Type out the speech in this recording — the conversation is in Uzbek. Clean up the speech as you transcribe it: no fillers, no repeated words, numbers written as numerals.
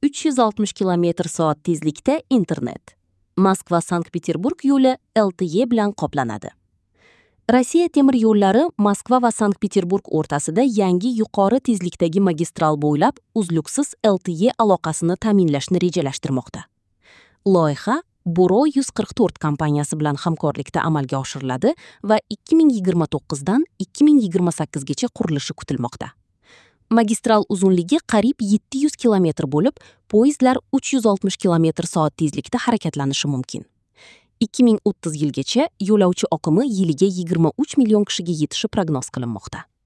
360 km/soat tezlikda internet. Moskva Sankt-Peterburg yo'li LTE bilan qoplanadi. Rossiya temir yo'llari Moskva va Sankt-Peterburg o'rtasida yangi yuqori tezlikdagi magistral bo'ylab uzluksiz LTE aloqasini ta'minlashni rejalashtirmoqda. Loyiha Buro 144 kompaniyasi bilan hamkorlikda amalga oshiriladi va 2029 dan 2028 gacha qurilishi kutilmoqda. Magistral uzunligi qariyb 700 kilometr bo'lib, poyezdlar 360 km/soat tezlikda harakatlanishi mumkin. 2030 yilgacha yo'lovchi oqimi yiliga 23 million kishiga yetishi prognoz qilinmoqda.